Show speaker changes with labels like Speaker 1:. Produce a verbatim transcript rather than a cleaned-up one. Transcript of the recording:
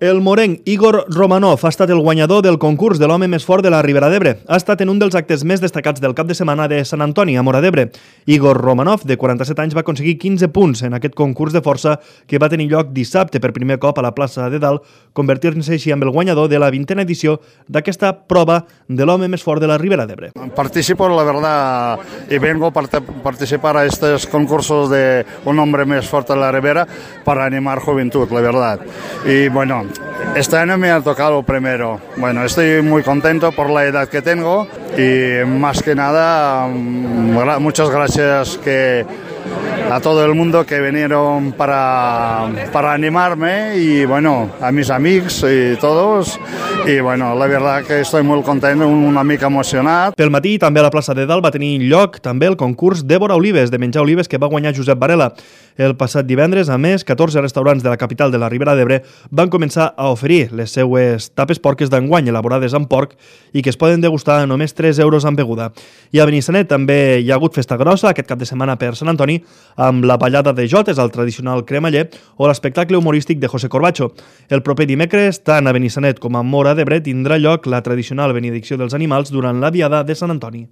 Speaker 1: El morenc Igor Romanov ha estat el guanyador del concurs de l'home més fort de la Ribera d'Ebre. Ha estat en un dels actes més destacats del cap de setmana de Sant Antoni, a Móra d'Ebre. Igor Romanov, de quaranta-set anys, va aconseguir quinze punts en aquest concurs de força que va tenir lloc dissabte per primer cop a la plaça de Dalt, convertir-se així en el guanyador de la vintena edició d'aquesta prova de l'home més fort de la Ribera d'Ebre.
Speaker 2: Participo, la verdad, y vengo a participar a estos concursos de un hombre más fuerte de la Ribera para animar juventud, la verdad. Y bueno, este año me ha tocado primero. Bueno, estoy muy contento por la edad que tengo y más que nada, muchas gracias que a todo el mundo que vinieron para, para animarme y bueno, a mis amigos y todos. I bueno, la veritat que estic molt content, una mica emocionat.
Speaker 1: Pel matí també a la plaça de Dalt va tenir lloc també el concurs Débora Olives, de menjar olives, que va guanyar Josep Varela. El passat divendres, a més, catorze restaurants de la capital de la Ribera d'Ebre van començar a oferir les seues tapes porques d'enguany elaborades amb porc i que es poden degustar a només tres euros amb beguda. I a Benissanet també hi ha hagut festa grossa aquest cap de setmana per Sant Antoni amb la ballada de jotes, el tradicional cremaller, o l'espectacle humorístic de José Corbacho. El proper dimecres, tant a Benissanet com a Móra d'Ebre, tindrà lloc la tradicional benedicció dels animals durant la diada de Sant Antoni.